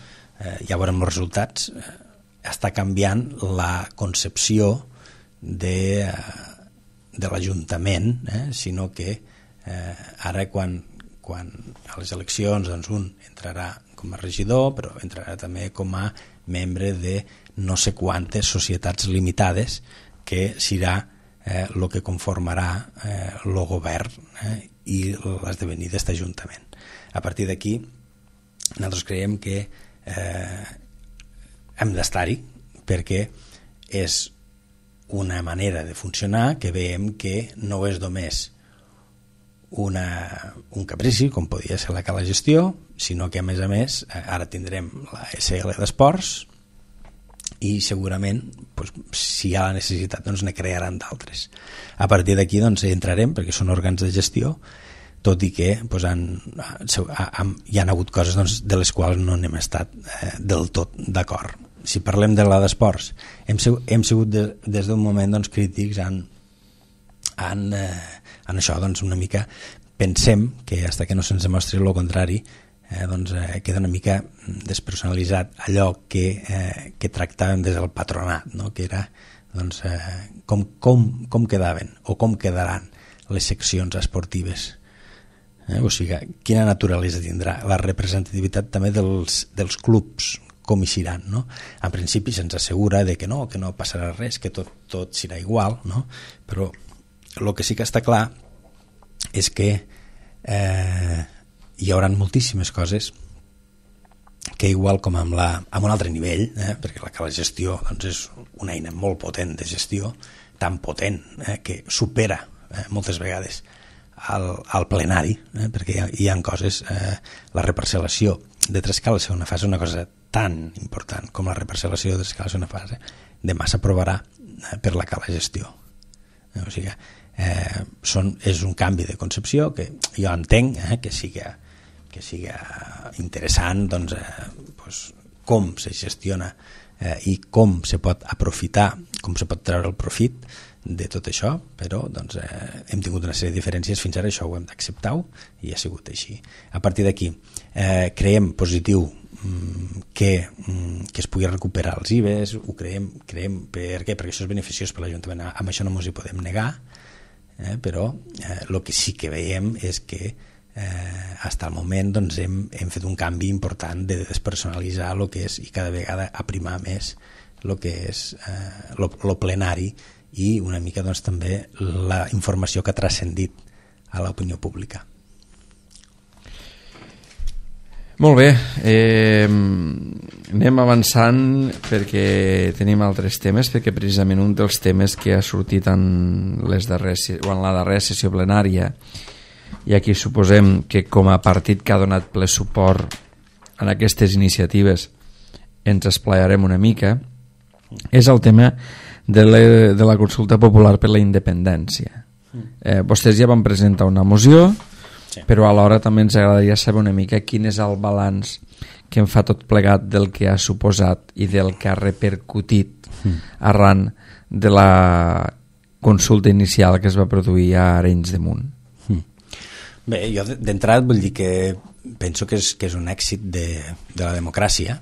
Speaker 2: ja veurem els resultats, està canviant la concepció de l'Ajuntament, sinó que ara quan a les eleccions doncs un entrarà com a regidor, però entrarà també com a membre de no sé quantes societats limitades que serà el que conformarà el govern i l'esdevenir d'aquest Ajuntament. A partir d'aquí nosaltres creiem que hem d'estar-hi perquè és una manera de funcionar que veiem que no és només un caprici, com podia ser la Cala Gestió, sinó que a més ara tindrem la SL d'Esports i segurament si hi ha la necessitat ne crearan d'altres. A partir d'aquí entrarem, perquè són òrgans de gestió, tot i que hi ha hagut coses de les quals no hem estat del tot d'acord. Si parlem de la d'Esports, hem sigut des d'un moment crítics en això, una mica pensem que fins que no se'ns demostri el contrari queda una mica despersonalitzat allò que tractàvem des del patronat, no? Que era com quedaven o com quedaran les seccions esportives, o sigui, quina naturalesa tindrà la representativitat també dels clubs, com hi seran, no? En principi se'ns assegura que no passarà res, que tot serà igual, no? Però el que sí que està clar és que hi haurà moltíssimes coses que igual com amb un altre nivell, perquè la gestió és una eina molt potent de gestió, tan potent que supera moltes vegades al plenari, perquè hi ha coses, la reparcel·lació de Trescala a segona fase és una cosa tan important com la reparcel·lació de Trescala a segona fase, demà s'aprovarà per la Cala Gestió. O sigui, és un canvi de concepció que jo entenc que siga interessant com se gestiona i com se pot aprofitar, com se pot treure el profit de tot això, però hem tingut una sèrie de diferències fins ara, això ho hem d'acceptar i ha sigut així. A partir d'aquí creiem positiu que es pugui recuperar els IBES, ho creiem per què? Perquè això és beneficiós per l'Ajuntament, amb això no ens hi podem negar, però el que sí que veiem és que fins al moment hem fet un canvi important de despersonalitzar el que és i cada vegada aprimar més el que és el plenari i una mica també la informació que ha transcendit a l'opinió pública.
Speaker 1: Molt bé, anem avançant perquè tenim altres temes, perquè precisament un dels temes que ha sortit en la darrera sessió plenària, i aquí suposem que com a partit que ha donat ple suport en aquestes iniciatives ens esplaiarem una mica, és el tema de la consulta popular per la independència. Vostès ja van presentar una moció, sí, però alhora també ens agradaria saber una mica quin és el balanç que en fa tot plegat del que ha suposat i del que ha repercutit arran de la consulta inicial que es va produir a Arenys de Munt.
Speaker 2: Bé, jo d'entrada vull dir que penso que és un èxit de la democràcia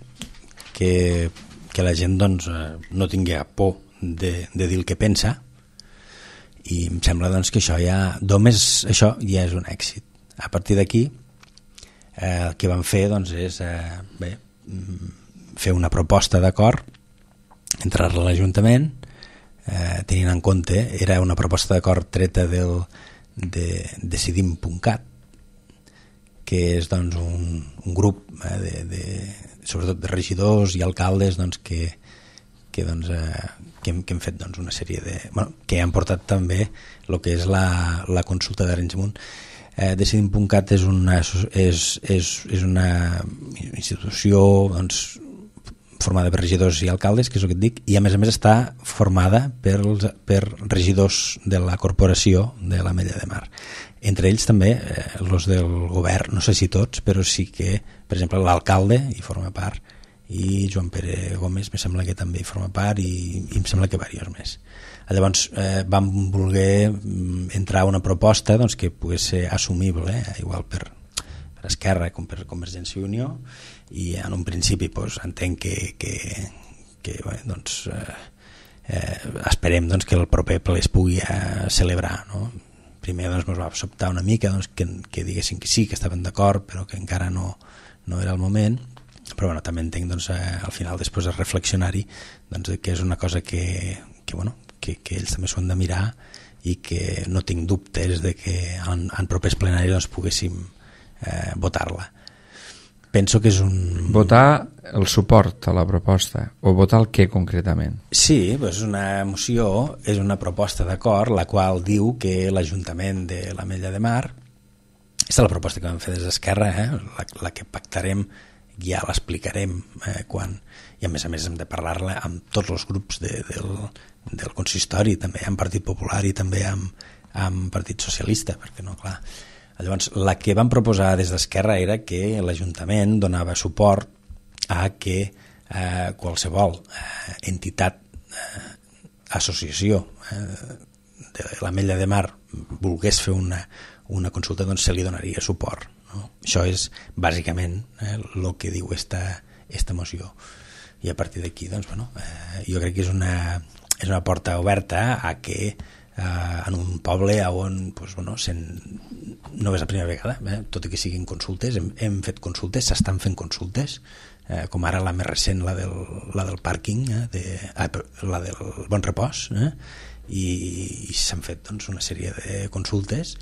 Speaker 2: que la gent no tingui por de dir el que pensa, i em sembla que això només això ja és un èxit. A partir d'aquí el que vam fer és fer una proposta d'acord, entrar-la a l'Ajuntament, tenint en compte, era una proposta d'acord treta de Decidim.cat, que és un grup sobretot de regidors i alcaldes que hem fet una sèrie de... que han portat també el que és la consulta d'Arenys de Munt. Decidim.cat és una institució formada per regidors i alcaldes, que és el que et dic, i a més està formada per regidors de la corporació de l'Ametlla de Mar. Entre ells també els del govern, no sé si tots, però sí que, per exemple, l'alcalde hi forma part, i Joan Pere Gómez me sembla que també hi forma part, i em sembla que diversos més. Llavors vam voler entrar una proposta que pogués ser assumible, igual per Esquerra com per Convergència i Unió, i en un principi entenc que esperem que el proper ple es pugui celebrar, no? Primer ens va sobtar una mica que diguessin que sí, que estaven d'acord, però que encara no era el moment, però també entenc al final, després de reflexionar-hi, que és una cosa que ells també s'ho han de mirar, i que no tinc dubtes de que en propers plenaris poguéssim votar-la. Penso que és
Speaker 1: Votar el suport a la proposta, o votar el què concretament?
Speaker 2: Sí, és una moció, és una proposta d'acord, la qual diu que l'Ajuntament de l'Ametlla de Mar Aquesta és la proposta que vam fer des d'Esquerra, la que pactarem, ja l'explicarem quan, i a més hem de parlar-la amb tots els grups del consistori, també amb Partit Popular i també amb Partit Socialista, perquè no, clar. Llavors, la que vam proposar des d'Esquerra era que l'Ajuntament donava suport a que qualsevol entitat, associació de l'Ametlla de Mar volgués fer una consulta, doncs se li donaria suport, no? Això és bàsicament el que diu esta moció, i a partir d'aquí doncs, bueno, jo crec que és una porta oberta a que en un poble on doncs, bueno, no és la primera vegada, tot i que siguin consultes, hem fet consultes, s'estan fent consultes, com ara la més recent, la del pàrquing, la del Bon Repòs, i s'han fet doncs, una sèrie de consultes,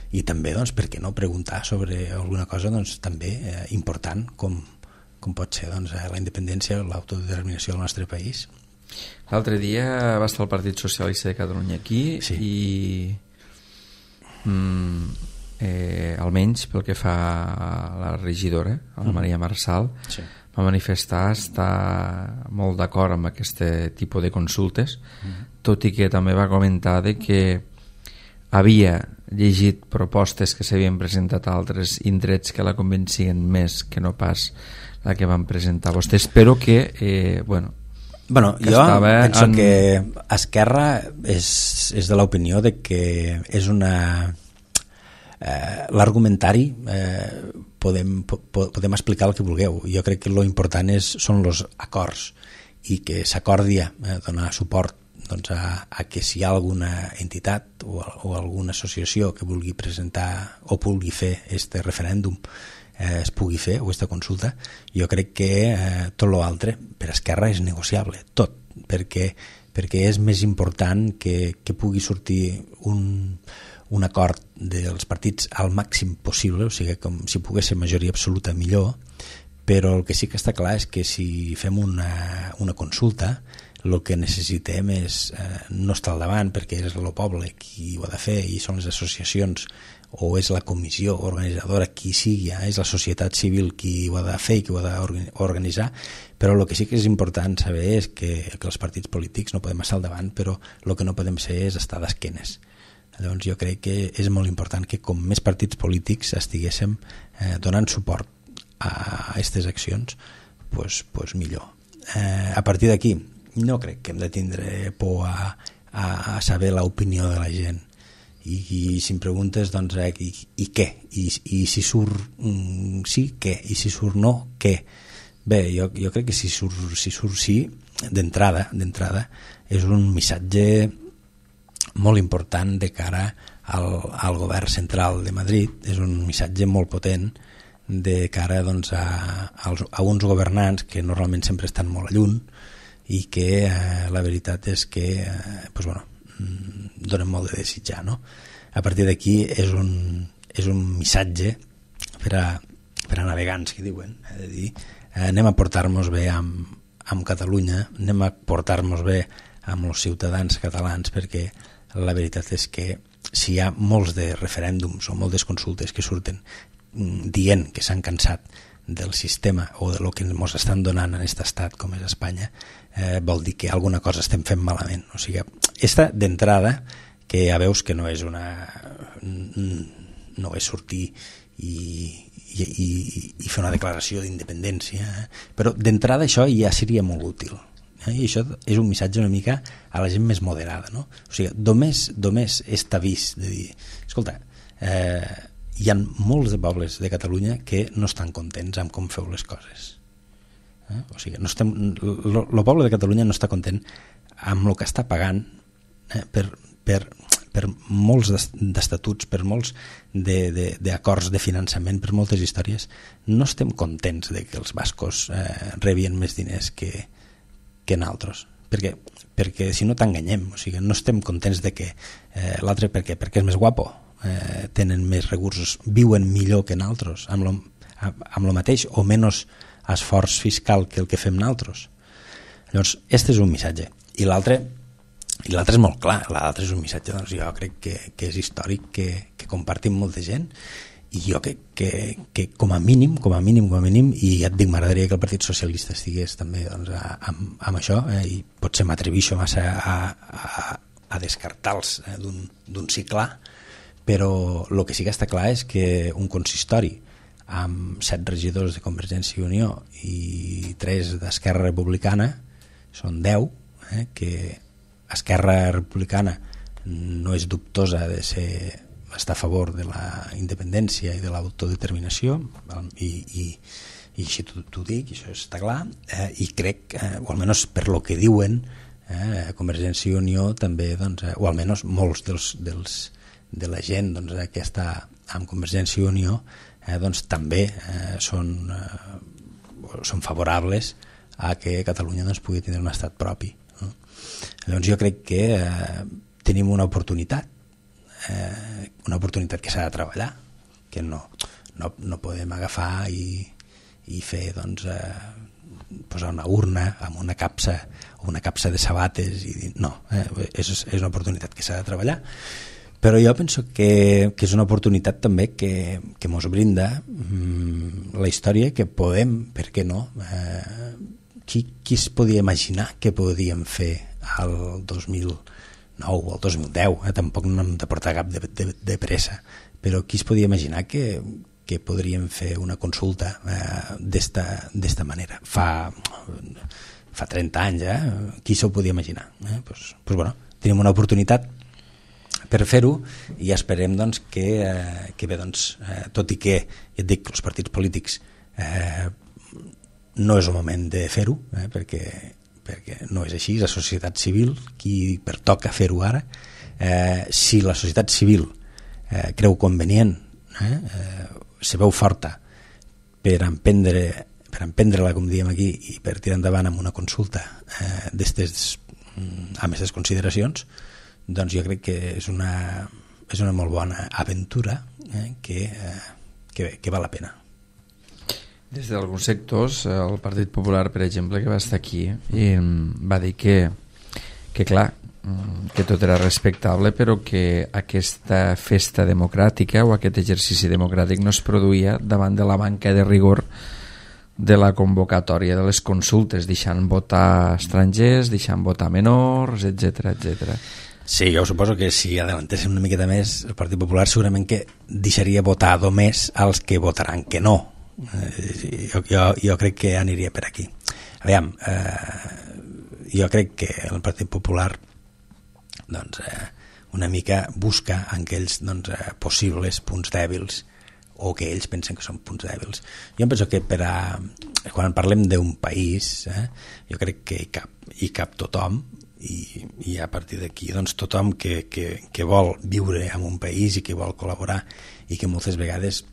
Speaker 2: i també, doncs, per què no preguntar sobre alguna cosa doncs, també important com pot ser doncs, la independència o l'autodeterminació del nostre país.
Speaker 1: L'altre dia va estar el Partit Socialista de Catalunya aquí, sí. I almenys pel que fa a la regidora, a la Maria Marçal, sí, va manifestar estar molt d'acord amb aquest tipus de consultes, tot i que també va comentar de que havia llegit propostes que s'havien presentat a altres indrets que la convencien més que no pas la que van presentar vostès, però que que
Speaker 2: jo penso que Esquerra és de l'opinió de que és l'argumentari podem explicar el que vulgueu. Jo crec que l'important són els acords, i que s'acordi donar suport doncs, a que si hi ha alguna entitat o alguna associació que vulgui presentar o vulgui fer este referèndum es pugui fer, o aquesta consulta. Jo crec que tot l'altre per Esquerra és negociable, tot, perquè és més important que pugui sortir un acord dels partits al màxim possible, o sigui, com si pogués ser majoria absoluta millor, però el que sí que està clar és que si fem una consulta, el que necessitem és no estar al davant, perquè és el poble qui ho ha de fer i són les associacions o és la comissió organitzadora, qui sigui, és la societat civil qui ho ha de fer i qui ho ha d'organitzar, però el que sí que és important saber és que els partits polítics no podem estar al davant, però el que no podem ser és estar d'esquenes. Llavors jo crec que és molt important que com més partits polítics estiguéssim donant suport a aquestes accions, doncs millor. A partir d'aquí no crec que hem de tindre por a saber l'opinió de la gent, i si em preguntes doncs, i què? I si surt sí, què? I si surt no, què? Bé, jo crec que si surt sí, d'entrada és un missatge molt important de cara al govern central de Madrid, és un missatge molt potent de cara doncs, a uns governants que normalment sempre estan molt a lluny i que la veritat és que donen molt de desitjar, no? A partir d'aquí és un missatge per a navegants, que diuen, de dir, anem a portar-nos bé amb Catalunya, anem a portar-nos bé amb els ciutadans catalans, perquè la veritat és que si hi ha molts de referèndums o moltes consultes que surten dient que s'han cansat del sistema o de lo que ens estan donant en aquest estat com és Espanya, vol dir que alguna cosa estem fent malament. O sigui, esta d'entrada, que ja veus que no és sortir i fer una declaració d'independència, però d'entrada això ja seria molt útil. I això és un missatge una mica a la gent més moderada, no? O sigui, només està vist de dir, escolta, hi ha molts de pobles de Catalunya que no estan contents amb com feu les coses. O sigui, el poble de Catalunya no està content amb el que està pagant per molts d'estatuts, per molts d'acords de finançament, per moltes històries. No estem contents de que els bascos rebien més diners que nosaltres, perquè si no t'enganyem, o sigui, no estem contents de que l'altre perquè és més guapo, tenen més recursos, viuen millor que nosaltres, amb el mateix o menys esforç fiscal que el que fem nosaltres. Llavors, este és un missatge, i l'altre és molt clar, l'altre és un missatge, doncs jo crec que és històric, que compartim molta gent, i jo que com a mínim, i ja et dic, m'agradaria que el Partit Socialista estigués també doncs, amb això, i potser m'atreveixo massa a descartar-los d'un sí clar, però el que sí que està clar és que un consistori amb 7 regidors de Convergència i Unió i 3 d'Esquerra Republicana són 10, que Esquerra Republicana no és dubtosa de estar a favor de la independència i de l'autodeterminació, i així t'ho dic, això està clar, i crec, o almenys per lo que diuen, Convergència i Unió també, doncs, o almenys molts de la gent doncs, que està amb Convergència i Unió doncs, també són favorables a que Catalunya doncs, pugui tenir un estat propi, no? Llavors jo crec que tenim una oportunitat que s'ha de treballar, que no podem agafar i fer doncs, posar una urna amb una capsa de sabates i dir no, és una oportunitat que s'ha de treballar, però jo penso que és una oportunitat també que mos brinda la història, que podem, per què no, qui es podia imaginar que podíem fer al 2009 o al 2010, tampoc no hem de portar cap de pressa, però qui es podia imaginar que podríem fer una consulta d'esta manera fa 30 anys, qui s'ho podia imaginar? Pues, bueno, tenim una oportunitat per fer-ho i esperem doncs, que bé, doncs, tot i que ja et dic, els partits polítics no és el moment de fer-ho, perquè no és així, és la societat civil qui pertoca fer-ho ara. Si la societat civil creu convenient, se veu forta per emprendre-la, com diem aquí, i per tirar endavant amb una consulta amb aquestes consideracions, doncs jo crec que és una molt bona aventura que val la pena.
Speaker 1: Des d'alguns sectors, el Partit Popular, per exemple, que va estar aquí i va dir que clar, que tot era respectable, però que aquesta festa democràtica o aquest exercici democràtic no es produïa davant de la manca de rigor de la convocatòria de les consultes, deixant votar estrangers, deixant votar menors, etc etc.
Speaker 2: Sí, jo suposo que si adelantéssim una miqueta més, el Partit Popular segurament que deixaria votar només als que votaran que no. Jo crec que aniria per aquí. Aviam, jo crec que el Partit Popular doncs, una mica busca aquells doncs, possibles punts dèbils o que ells pensen que són punts dèbils. Jo penso que quan parlem d'un país, jo crec que hi cap tothom, i a partir d'aquí doncs, tothom que vol viure en un país i que vol col·laborar, i que moltes vegades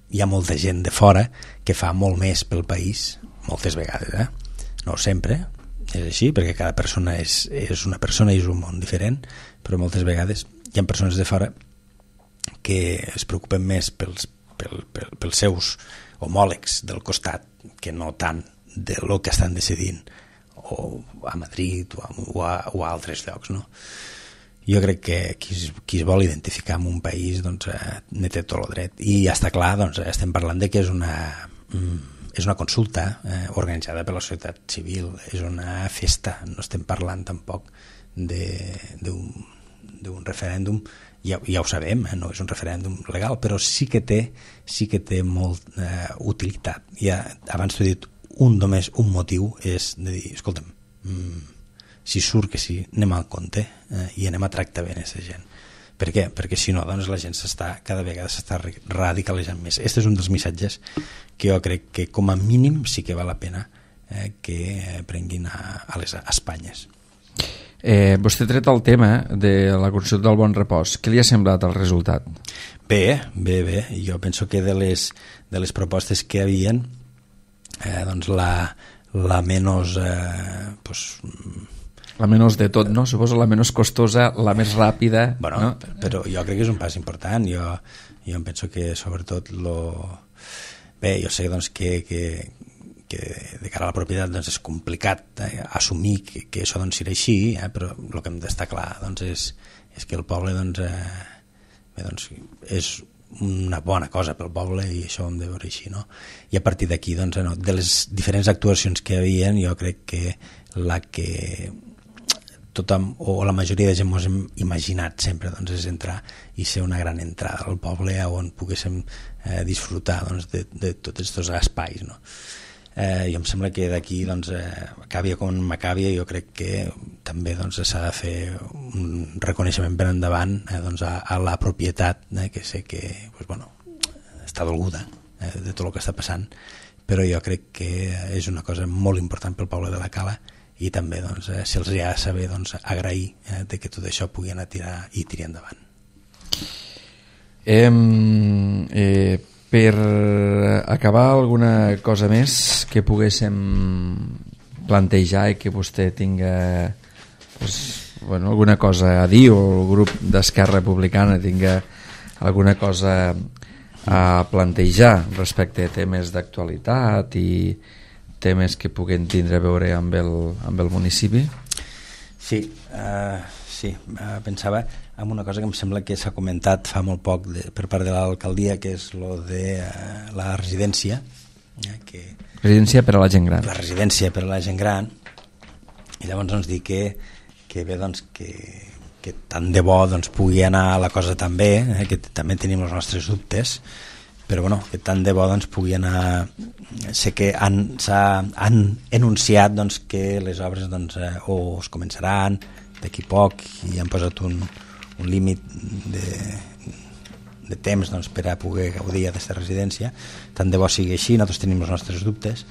Speaker 2: hi ha molta gent de fora que fa molt més pel país, moltes vegades, no sempre és així, perquè cada persona és una persona i és un món diferent, però moltes vegades hi ha persones de fora que es preocupen més pels seus homòlegs del costat que no tant de lo que estan decidint o a Madrid o a altres llocs, no? Jo crec que qui es vol identificar amb un país doncs, ne té tot el dret, i ja està clar, doncs, estem parlant de que és una consulta organitzada per la societat civil, és una festa, no estem parlant tampoc d'un referèndum, ja ho sabem, no és un referèndum legal, però sí que té molt utilitat. Ja, abans t'he dit, només un motiu és de dir, escolta'm, si surt que sí, anem al compte i anem a tractar bé aquesta gent. Per què? Perquè si no, doncs la gent cada vegada s'està radicalitzant més. Aquest és un dels missatges que jo crec que com a mínim sí que val la pena que prenguin a les Espanyes.
Speaker 1: Vostè ha tret el tema de la consulta del bon repòs. Què li ha semblat el resultat?
Speaker 2: Bé. Jo penso que de les propostes que hi havia, doncs la menys
Speaker 1: la menys de tot, no? Suposo la menys costosa, la més ràpida,
Speaker 2: bueno, no? Però jo crec que és un pas important. Jo em penso que sobretot bé, jo sé doncs, que de cara a la propietat doncs, és complicat assumir que això doncs, serà així, però el que hem d'estar clar doncs, és que el poble doncs, és una bona cosa pel poble i això ho hem de veure així, no? I a partir d'aquí, doncs, de les diferents actuacions que hi havia, jo crec que la que tothom o la majoria de gent ens hem imaginat sempre, doncs, és entrar i ser una gran entrada al poble on poguéssim disfrutar, doncs, de tots aquests espais, no? I em sembla que d'aquí, doncs, Macàbia com Macàbia, jo crec que també, doncs, s'ha de fer un reconeixement per endavant, doncs, a la propietat, que sé que, doncs, bueno, està dolguda de tot el que està passant, però jo crec que és una cosa molt important pel poble de la Cala i també, doncs, se'ls ha de saber, doncs, agrair de que tot això pugui anar a tirar endavant.
Speaker 1: Per acabar, alguna cosa més que poguéssim plantejar i que vostè tinga, doncs, bueno, alguna cosa a dir, o el grup d'Esquerra Republicana tinga alguna cosa a plantejar respecte a temes d'actualitat i temes que puguen tindre a veure amb el municipi?
Speaker 2: Sí, pensava en una cosa que em sembla que s'ha comentat fa molt poc per part de l'alcaldia, que és lo de la residència.
Speaker 1: Residència per a la gent gran.
Speaker 2: La residència per a la gent gran. I llavors ens dir que bé, doncs, que tant de bo, doncs, pugui anar la cosa tan bé, que també tenim els nostres dubtes, però bueno, que tant de bo, doncs, pugui anar. Sé que han enunciat, doncs, que les obres, doncs, o es començaran d'aquí poc i han posat un límit de temps, doncs, per a poder gaudir d'aquesta residència. Tant de bo sigui així, nosaltres tenim els nostres dubtes,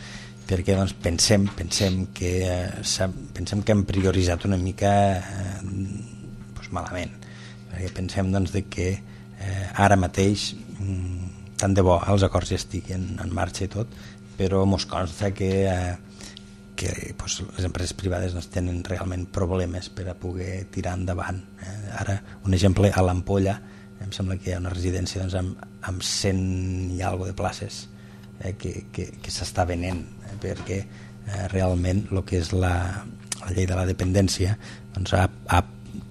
Speaker 2: perquè, doncs, pensem que hem prioritzat una mica doncs, malament, perquè pensem, doncs, de que ara mateix tant de bo els acords ja estiguin en marxa i tot, però mos consta que doncs, les empreses privades, doncs, tenen realment problemes per a poder tirar endavant. Ara, un exemple, a l'Ampolla em sembla que hi ha una residència, doncs, amb 100 i alguna de places que s'està venent, perquè realment el que és la llei de la dependència, doncs,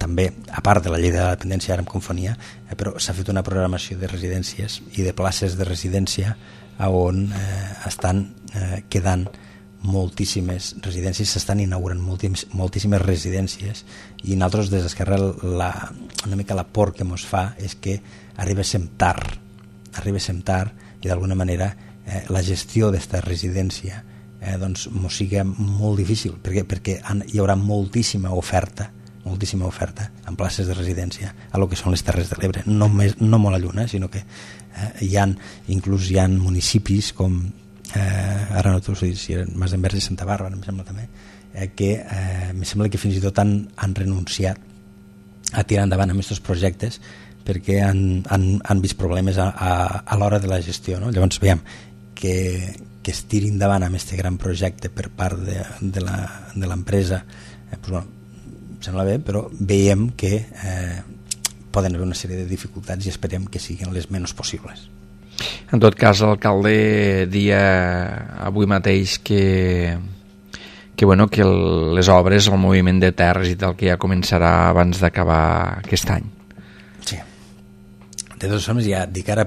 Speaker 2: també, a part de la llei de la dependència, ara em confonia, però s'ha fet una programació de residències i de places de residència on estan quedant moltíssimes residències, s'estan inaugurant moltíssimes residències, i nosaltres des d'Esquerra una mica la por que ens fa és que arribéssim tard i d'alguna manera la gestió d'esta residència doncs ens sigui molt difícil, perquè hi haurà moltíssima oferta en places de residència a lo que són les Terres de l'Ebre, no molt a lluny, sinó que hi ha municipis com ara no t'ho sé si eren Masdenverge i Santa Bàrbara, em sembla també, que em sembla que fins i tot han renunciat a tirar endavant amb aquests projectes perquè han vist problemes a l'hora de la gestió, no? Llavors veiem que es tiri endavant amb aquest gran projecte per part de l'empresa, doncs, bueno, em sembla bé, però veiem que poden haver una sèrie de dificultats i esperem que siguin les menys possibles.
Speaker 1: En tot cas, l'alcalde dia avui mateix que les obres, el moviment de terres i tal, que ja començarà abans d'acabar aquest any.
Speaker 2: Sí. De totes formes, ja dic, ara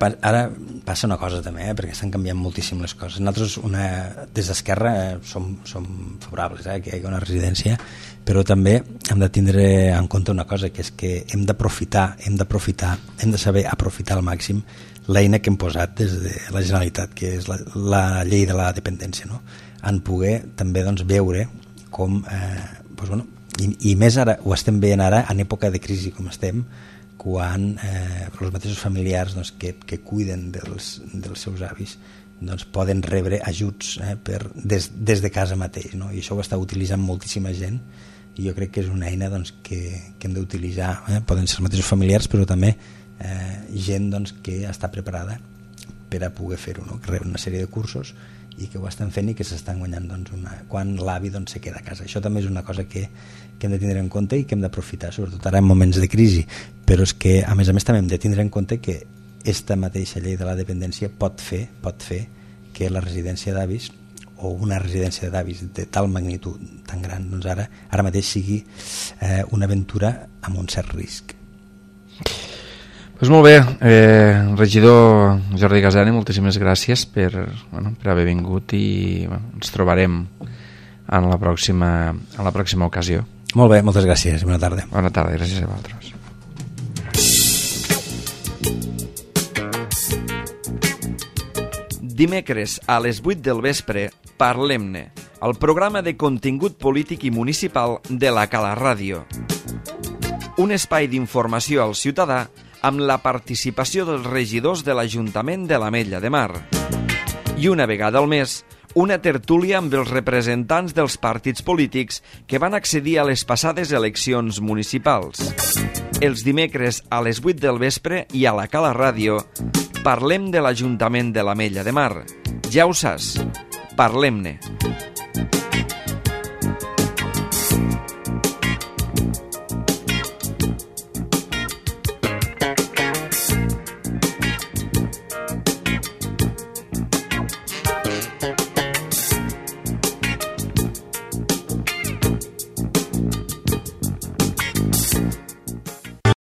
Speaker 2: passa una cosa també, perquè estan canviant moltíssim les coses. Nosaltres, des d'Esquerra, som favorables que hi hagi una residència, però també hem de tindre en compte una cosa, que és que hem de saber aprofitar al màxim l'eina que hem posat des de la Generalitat, que és la llei de la dependència, no? En poder també, doncs, veure com doncs, bueno, i més ara, ho estem veient ara en època de crisi com estem, quan els mateixos familiars, doncs, que cuiden dels seus avis, doncs, poden rebre ajuts des de casa mateix, no? I això ho està utilitzant moltíssima gent, i jo crec que és una eina, doncs, que hem d'utilitzar. Poden ser els mateixos familiars, però també gent, doncs, que està preparada per a poder fer-ho, no? Que reben una sèrie de cursos i que ho estan fent i que s'estan guanyant, doncs, quan l'avi, doncs, se queda a casa. Això també és una cosa que hem de tindre en compte i que hem d'aprofitar, sobretot ara en moments de crisi, però és que a més també hem de tindre en compte que esta mateixa llei de la dependència pot fer que la residència d'avis o una residència d'avis de tal magnitud tan gran, doncs ara mateix sigui una aventura amb un cert risc.
Speaker 1: Doncs molt bé, regidor Jordi Gasani, moltíssimes gràcies per haver vingut i ens trobarem en la pròxima ocasió.
Speaker 2: Molt bé, moltes gràcies i bona tarda.
Speaker 1: Bona tarda, gràcies a vosaltres. Dimecres a les 8 del vespre, Parlem-ne, el programa de contingut polític i municipal de la Cala Ràdio. Un espai d'informació al ciutadà amb la participació dels regidors de l'Ajuntament de l'Ametlla de Mar. I una vegada al mes, una tertúlia amb els representants dels partits polítics que van accedir a les passades eleccions municipals. Els dimecres a les 8 del vespre i a la Cala Ràdio parlem de l'Ajuntament de l'Ametlla de Mar. Ja ho saps, parlem-ne.